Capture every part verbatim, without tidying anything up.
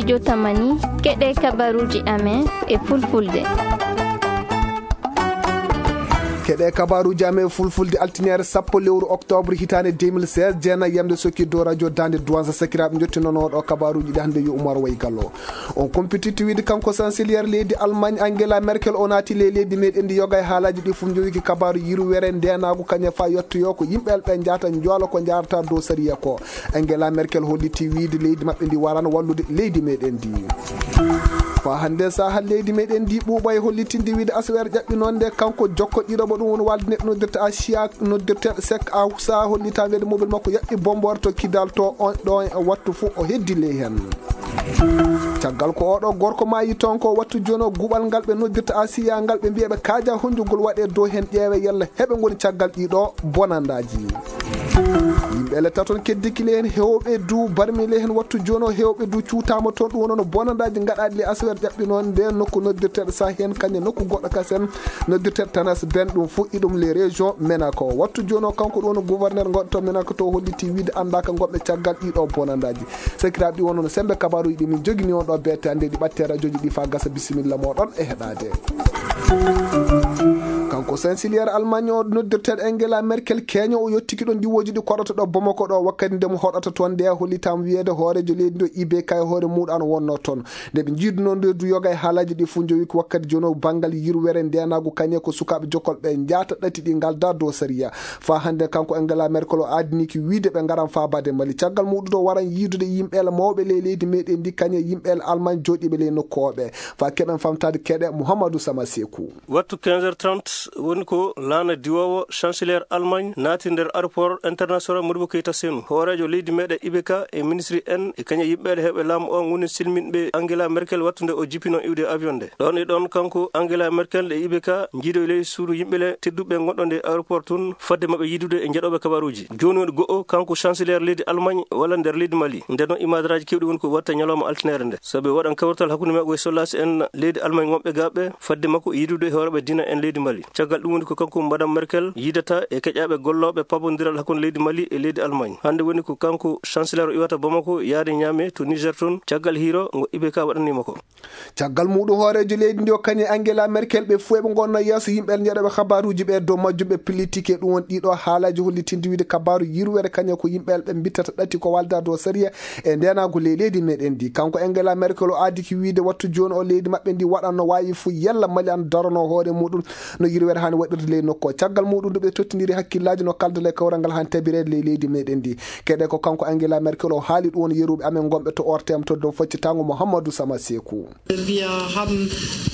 Jotamani, keɗe kabaruuji amen e fulfulde. Keɗe kabaruuji amen e fulfulde, altiniere sappo lewru octobre hitaande deux mille seize, jeenayi yamde sokki dow radio Daande Duwansa. Sakiraaɓe, njottinono ɗo kabaruuji ɗi hannde yo Umar Way Gallo. On kumpititti wiide kanko chancelier leydi Allemagne Angela Merkel o naati ley leydi meɗen ndi yoga e haalaaji ɗi fof, njowiki kabaaru yirwere ndeenaagu kañe fa yettoyo ko yimɓe ɓe njaata njoola ko njaarata dow sariya ko. Angela Merkel holliti wiide leydi maɓɓe ndi warano wallude leydi meɗen ndi. Fa hannde saha leydi meɗen ndi ɓuuɓa e hollitinde wiide asawere ƴaɓɓi noon nde kanko jokko ɗiɗo mo ɗum woni walde neɗɗo noddirta Asia noddirteɗo Sek Awsa hollita wiide mobil makko yaɓɓi bombore to Kidal to on ɗo e wattu fof o heddi ley heen. Caggal ko oɗo gorko maayi toon ko wattu jooni o guɓal ngal ɓe noddirta Asiya ngal ɓe mbiya ɓe kaaja honjugol waɗe dow heen ƴeewe yalla heɓe ngoni caggal ɗiɗo bonandaaji. Yimɓe ele taton keddikile heen hewɓe du barmile heen wattu jooni o hewɓe du cuutaama toon ɗum wonno bonandaaji gaɗaaɗi le asawere ƴaɓɓi noon nde nokku noddirteɗo sa heen kañe nokku goɗɗo kasen noddirteɗo Tanas Ben ɗum fof iɗum les régions Ménaco wattu jooni o kanko ɗum wonno gouverneur goɗɗo to Ménaco to holliti wiide anndaaka gonɓe caggal ɗiɗo bonandaaji. Sakiraaɓe ɗi wonno no sembe kabaruuji ɗi min jogini on ɗo beete hannde ɗi ɓatte radioji ɗi fa gasa bisimilla moɗon e heɗaade. Kanko chancelier Allemagne o noddirteɗo Angela Merkel keño o yettiki ɗon diwooji ɗi koɗoto ɗo Bamako ɗo wakkati nde mo hoɗata toon nde hollitaama wiyeede hooreejo leydi ndo I B K e hoore muuɗo an wonno toon. Nde ɓe njiiduno nde du yoga e haalaaji ɗi fof njowi ko wakkati jono banngal yirwere ndenaagu kañe ko sukaaɓe jokkolɓe njaata ɗati ɗi ngalda dow sariya. Fa hannde kanko Angela Merkel o aadini ki wiide ɓe ngaran faabaade Mali. Caggal muɗum ɗo waran yiidude yimɓeele mawɓe ley leydi meɗen ndi kañe yimɓeele Allemagne jooɗiiɓe ley nokku o ɓe. Fa keɓen famtaade keɗe Mouhamadou Sama Sekou. Wattu quinze heures trente woni ko laana diwoowo chancelier Allemagne naati nder aéroport international Modibo Keita Senu. Hooreejo leydi meɗen I B K e ministre en e kañe yimɓeele heɓe laamu o ngoni silminɓe Angela Merkel wattunde o jippino iwde avion nde. Ɗon e ɗon kanko Angela Merkel e I B K njiido e ley suudu yimɓele tedduɓe gonɗo nde aéroport tun fadde maɓɓe yiidude e njeɗoɓe kabaruji. Joni woni go'o kanko chancelier leydi Allemagne walla nder leydi Mali. Nden non imadraji kewɗi woni ko watta ñalawma altinere nde. Sabi waɗan kawrital hakkunde maɓɓe e sollasi en leydi Allemagne wonɓe gaɓɓe fadde makko yiidude e hooreɓe diina en leydi Mali. Caggal ɗum woni ko kanko Madame Merkel yiidata e keƴaɓe gollooɓe pabondiral hakkunde leydi Mali e leydi Allemagne. Hannde woni ko kanko chancelier o iwata Bamako yaade Niamey to Niger toon. Caggal hiiro ngo I B K waɗanima ko. Caggal muɗum hooreejo leydi ndi o kañe Angela Merkel ɓe fof eɓe ngonna yeeso yimɓe njeɗoɓe kabaruji ɓe dow majjum ɓe pillitike ɗum won ɗiɗo haalaji hollitinde wiide kabaru yirwere kañe ko yimɓe ɓe mbittata ɗati ko walda dow sariya e ndenagu ley leydi meɗen ndi. Kanko Angela Merkel o aadiki wiide wattu joni o leydi maɓɓe ndi waɗanno wawi fof yalla Mali an darono hoore muɗum no yirwere hani waɗirde ley nokku o. Caggal muɗum nde ɓe tottidiri hakkillaji no kalda ley kawral ngal han tabirede ley leydi meɗen ndi. Keɗe ko kanko Angela Merkel o haali ɗum won yeruɓe amen gonɓe to O R T M to dow faccitango Mouhamadou Sama Sekou. Wir haben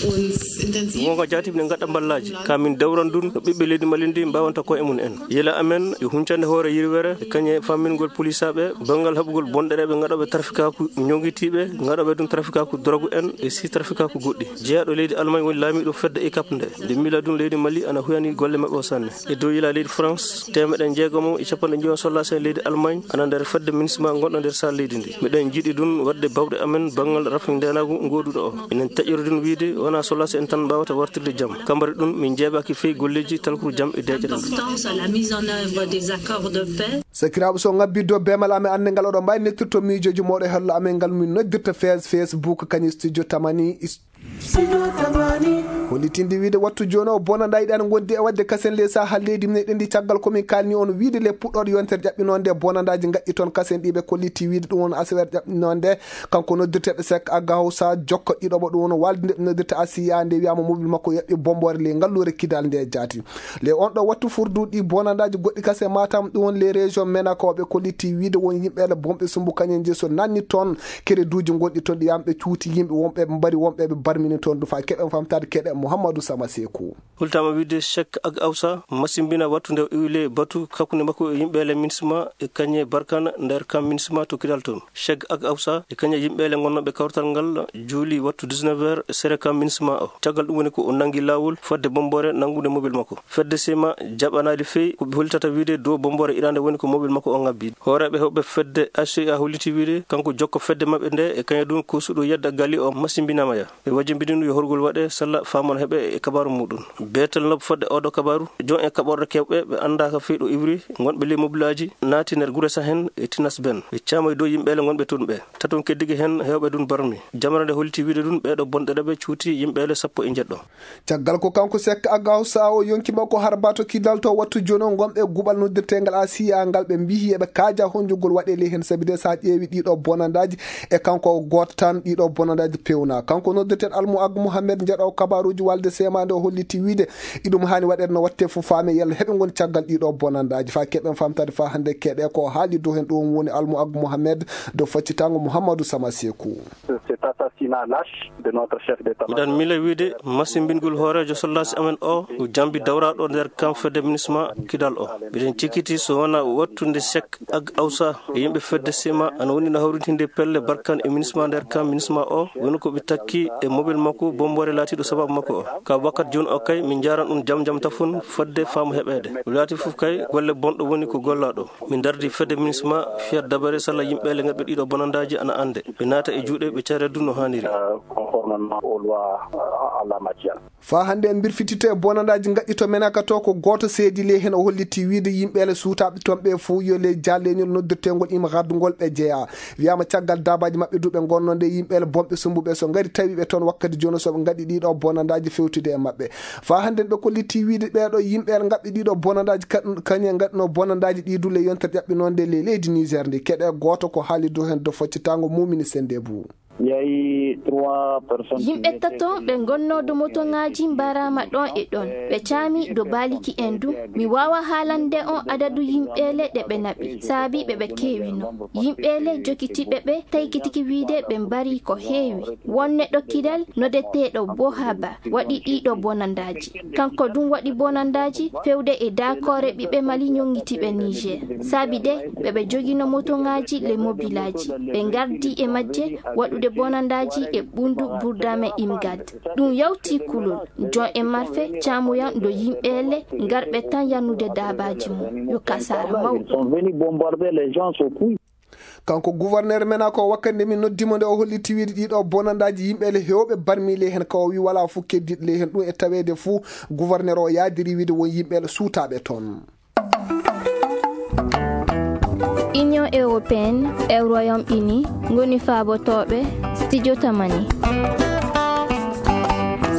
uns intensiv Wonga jaatib ne gaɗa mballaji ka min dawran ɗum no ɓiɓɓe leydi Mali ndi mbawanta koye mum en. Yela amen yo huncande hoore yirwere e kañe fammingol polisaɓe banngal haɓugol bonɗereɓe gaɗoɓe trafikaku jogitiɓe gaɗoɓe ɗum trafikaku drogue en e si trafikaku goɗɗi. Jeeyaɗo leydi Allemagne woni laamiɗo fedde I K A P nde. Nde miila ɗum leydi Mali ana huyani golle maɓɓe o sanne. E dow yila leydi France temeɗe jeegomo e capanɗe njoyo sollasi en leydi Allemagne ana nder fedde MINUSMA gonɗo nder sal leydi ndi. Miɗen jiɗi ɗum waɗde bawɗe amen banngal rafi ndenagu ngoduɗo o. Enen taƴiri ɗum wiide wona sollasi en tan mbawata wartirde jam. Kambari ɗum min jeeɓaki fey golleji talkuru jam e deƴere ndu. Importance à la mise en œuvre des accords de paix. Sakiraaɓe so ngabbiddo bemal amen annde ngal oɗo mbawi nettirto miijoji moɗo e hello amen ngal min noddirta fes Facebook kañum studio tamani. Holitinde wiide wattu joni o bonanda yiɗani gondi e wadde kasen ley saha leydi meɗen ndi caggal komin kalni on wiide le puɗɗoɗo yontere ƴaɓɓinonde bonandaji gaƴƴi toon kasen ɗiɓe kolliti wiide ɗum won asawere ƴaɓɓinonde. Kanko noddirteɗo Sek Aga Hawsa jokko ɗiɗoɓo ɗum won walde nde noddirta Asiya nde wiyama mobil makko yaɓɓi bombore ley ngallure kidal nde jaati. Le on ɗo wattu furduɗi bonandaji goɗɗi kase Matam ɗum won les régions menakoɓe kolliti wiide won yimɓe ele bomɓe sumbu kañen je so nanni toon kereduji gonɗi toon ɗi yamɓe cuuti yimɓe wonɓe mbari wonɓe ɓe barmini toon ɗum fa keɓen famtade keɗe Mouhamadou Sama Sekou. Hultama wiide Sek Ag Awsa masimbina wattu nde o iwile batu hakkunde makko e yimɓe ele MINUSMA e kañe Barkana nder kam MINUSMA to kidal toon. Cheg ak Awsa e kañe yimɓeele ngonnooɓe kawtal ngal juuli wattu dix-neuf heures e sere kam MINUSMA o. Caggal ɗum woni ko o nanngi laawol fodde bomboore nanngude mobil makko. Fedde sima jaɓanaali fey ko ɓe hollitata wiide dow bomboore iɗaande woni ko mobil makko o ngabbi. Hooreeɓe heɓɓe fedde H C A holliti wiide kanko jokko fedde maɓɓe nde e kañe ɗum ko suɗo yedda gali o masimbinama ya. Ɓe wajjimbiɗino yo horgol waɗe salla faama. Mon heɓe e kabaaru muɗum. Beetel nob fodde oɗo kabaaru, jon e kaɓorɗe kewɓe ɓe anndaaka fii ɗo iwri, ngonɓe ley mobilaaji, naati nder gure Sahen e Tinas Ben. Ɓe caamay dow yimɓeele ngonɓe tun ɓe. Taton keddigi hen hewɓe dun barmi. Jamra nde holliti wiide dun ɓeeɗo bonɗereɓe cuuti yimɓeele sappo e njeɗɗo. Caggal ko kanko Sek Agawsa o yonki makko harba to Kidal to wattu jono ngonɓe guɓal noddirtengal Asiya ngal ɓe mbihi eɓe kaaja honjugol waɗe ley hen sabi de sa ƴeewi ɗiɗo bonandaaji e kanko gooto tan ɗiɗo bonandaaji pewna. Kanko noddirten Almu Ag Mohamed njaɗo kabaruji walde semande o holliti wiide iɗum hani waɗede no watte fof faame yalla heɓe ngoni caggal ɗiɗo bonandaaji. Fa keɓen famtade fa hande keɗe ko haali dow hen ɗum woni Almu Ag Mohamed dow faccitango Mouhamadou Sama Sekou. Cet assassinat lâche de notre chef d'état. Miɗen miila wiide masimbingol hooreejo soldaaji amen o, o jambi dawraɗo nder kam fedde minisma Kidal o. Miɗen cikiti so wona wattunde Sek Ag Awsa e yimɓe fedde sema ana woni no hawritinde pelle barkan e minisma nder kam minisma o, woni ko ɓe takki e mobile makko bombore laatiɗo sababu makko o. Ka wakkati jooni o kay, min njaran ɗum jam jam tafon fodde faamu heɓeede. Ɗum laati fof kay, golle bonɗo woni ko gollaɗo. Min dardi fedde minisma fiyat dabare sala yimɓe le ngaɓe ɗiɗo bonandaaji ana annde. Ɓe naata e juuɗe ɓe caredu no haaniri. Euh, conformément aux lois, euh, en la matière. Fa hannde en mbirfitito e bonandaaji ngaɗɗi to Menaka to ko gooto seedi ley heen o holliti wiide yimɓe le suutaaɓe toon ɓe fof yo ley jaalleñol noddirteengol ima gaddugol ɓe jeyaa. Wiyaama caggal daabaaji maɓɓe du ɓe ngonnoo nde yimɓe le bonɓe sumbuɓe so ngari tawi ɓe toon wakkati jooni so ɓe ngaɗi ɗiɗo bonandaaji fewtude e maɓɓe. Fa hannde ɓe kolliti wiide ɓeeɗo yimɓe le ngaɓɓe ɗiɗo bonandaaji kañum, kañum ngaɗno bonandaaji ɗi du le yontere ƴaɓɓinoonde ley leydi Niger ndi. Keɗe gooto ko haali dow heen dow foccitaango mumini sennde bu. Yimɓe tato ɓe ngonnoo dow motoŋaaji mbaraama ɗon e ɗon. Ɓe caami dow baaliki en du. Mi waawa haalande on adadu yimɓeele ɗe ɓe naɓi, saabi ɓe ɓe keewino. Yimɓeele jokitiiɓe ɓe taykitiki wiide ɓe mbari ko heewi. Won neɗɗo Kidal nodeteeɗo Bohaba waɗi ɗiɗo bonandaaji. Kanko dun waɗi bonandaaji fewde e daakoore ɓiɓɓe Mali ñoŋŋitiiɓe Niger. Saabi de ɓe ɓe jogino motoŋaaji le mobilaaji. Ɓe ngardi e majje waɗude bonandaaji e ɓundu Burdame Imgad. Ɗum yawti kulol. Jon e marfe caamuyan do yimɓe le ngarɓe tan yannude daabaaji mum. Yo kasaara mawɗo. Ils sont venus bombarder les gens au couille. Kanko gouverneur Menaka o wakkati nde min noddi mo nde o holliti wiide ɗiɗo bonandaaji yimɓe le hewɓe barmi ley heen ka o wi wala fof keddiiɗo ley heen ɗum e taweede fof gouverneur o yaadiri wiide won yimɓe le suutaaɓe toon. Union européenne e Royaume-Uni ngoni faabotooɓe studio Tamani.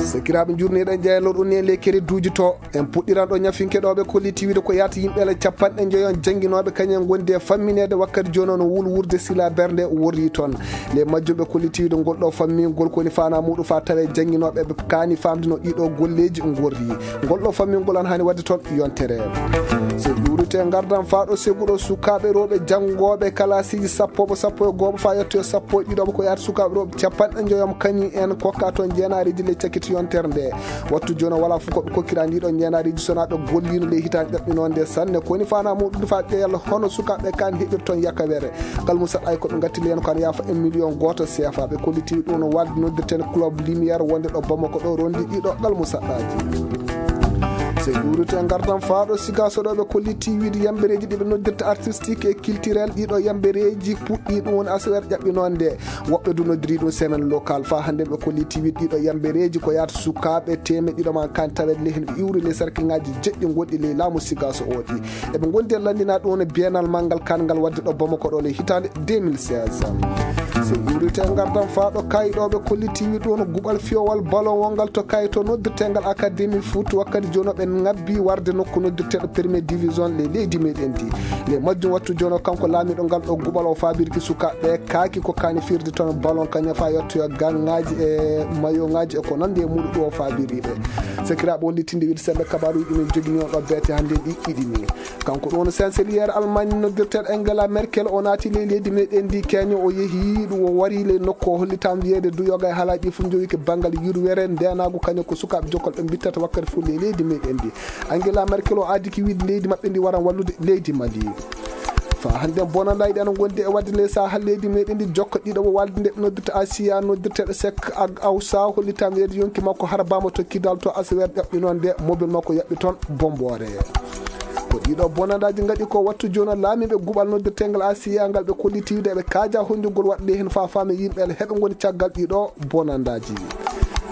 Sakiraaɓe njurniiɗen jeyalor on e ley kere duuji to. En puɗɗiran ɗo ñafinke ɗo ɓe kolliti wiide ko yaata yimɓe le capanɗe njoyon jannginooɓe kañum en ngondi e fammineede wakkati jooni on wulwurde sila bernde worri toon. Le majjum ɓe kolliti wiide ngol ɗo fammingol ko woni faana muɗum fa tawe jannginooɓe ɓe kaani famde no ɗiɗo golleeji ngorri. Ngol ɗo fammingol an hani wadde toon yontere. So ƴuurite ngardan faaɗo seguɗo sukaaɓe rewɓe janngooɓe kalaasiiji sappo sappo e gooɓo fa yettoyo sappo e ɗiɗo ko yaata sukaaɓe rewɓe capanɗe njoyom kañum en kokka toon jeenaariiji le cakkiti yontere nde. Wattu jooni wala fof ko ɓe kokkira ndi ɗo ñeenaariiji sonaaɓe golliino ley hitaande ɗaɓɓinoonde sanne. Ko woni faana muɗum fa ƴeewal hono sukaaɓe kan heɓir toon yakawere. Ngal mum saɗa ko ɓe ngatti leen ko ana yaafa e million gooto C F A. Ɓe kolliti ɗum no walde noddirten club Lumière wonde ɗo Bamako ɗo rondi ɗiɗo ngal mum saɗaji. So ƴuurite ngardan faaɗo siga so ɗo ɓe kolliti wiide yambereeji ɗi ɓe noddirta artistique e culturel ɗiɗo yambereeji puɗɗi ɗum woni aseweere ƴaɓɓinoonde. Woɓɓe du noddiri ɗum semaine locale. Fa hannde ɓe kolliti wiide ɗiɗo yambereeji ko yaata sukaaɓe teemeɗɗe ɗiɗo ma kan tawede ley hen ɓe iwri ley sarkiŋaaji jeɗɗi gonɗi ley laamu siga so oɗi. Eɓe ngondi e lanndina ɗum no biennal manngal kan ngal wadde ɗo Bamako ɗo ley hitaande deux mille seize. So iwrite ngardan faaɗo kayi ɗo ɓe kolliti wiide ɗum no guɓal fiyowal ballon wongal to kayi to noddirtengal académie foot wakkati jooni ɓe ngabbi warde nokku noddirteɗo première division ley leydi meɗen ndi. Ley majjum wattu jooni kanko laamiɗo ngal ɗo guɓal o faabirki sukaaɓe kaaki ko kaani firde toon ballon kañum fa yettoya gaŋŋaaji e mayoŋaaji e ko nandi e muɗum ɗo faabiri ɓe. Sakiraaɓe on littinde wiide sembe kabaruji ɗumen jogini on ɗo beete hannde ɗi iɗini. Kanko ɗo no chancelier Allemagne noddirteɗo Angela Merkel o naati ley leydi meɗen ndi keño o yehi ɗum o wari ley nokku o hollitam wiyeede du yoga e haalaaji ɗi fof jowike banngal yurwere ndenaagu kañum ko sukaaɓe jokkol ɓe mbittata wakkati fof ley leydi meɗen ndi. Angela Merkel o aadiki wiide leydi maɓɓe ndi waran wallude leydi Mali. Fa hannde bonandaaji ɗi ana ngondi e wadde ley saha leydi meɗen ndi jokka ɗiɗo o walde nde ɓe noddirta Asiya noddirteɗo Sek Ag Awsa hollitam wiyeede yonki makko harbama to Kidal to aseweere ƴaɓɓinonde mobil makko yaɓɓi toon bomboore. Ko ɗiɗo bonandaaji ngaɗi ko wattu jooni laamiiɓe guɓal noddirtengal Asiya ngal ɓe kolliti wiide eɓe kaaja honjugol waɗde heen fa faame yimɓe heɓe ngoni caggal ɗiɗo bonandaaji.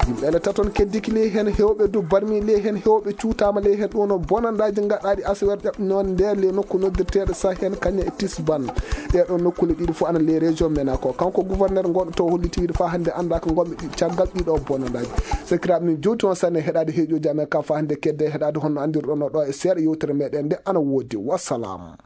Yimɓe ele taton keddiki ley heen heewɓe du barmi ley heen heewɓe cuutaama ley heen ɗum no bonandaaji gaɗaaɗi asaweere ƴaɓɓi noon nder ley nokku noddirteeɗo Sahen Kanya e Tisban. Ɗee ɗoo nokkuule ɗiɗi fof ana ley région Ménako. Kanko gouverneur ngonɗo to holliti wiide faa hannde anndaa ko ngonɓe ɗi caggal ɗii ɗoo bonandaaji. Sakiraaɓe min jowti on sanne heɗaade heeƴooji amen ka faa hannde kedde heɗaade honno anndirɗon no ɗo e seeɗa yewtere meɗen nde ana woodi. Wassalam.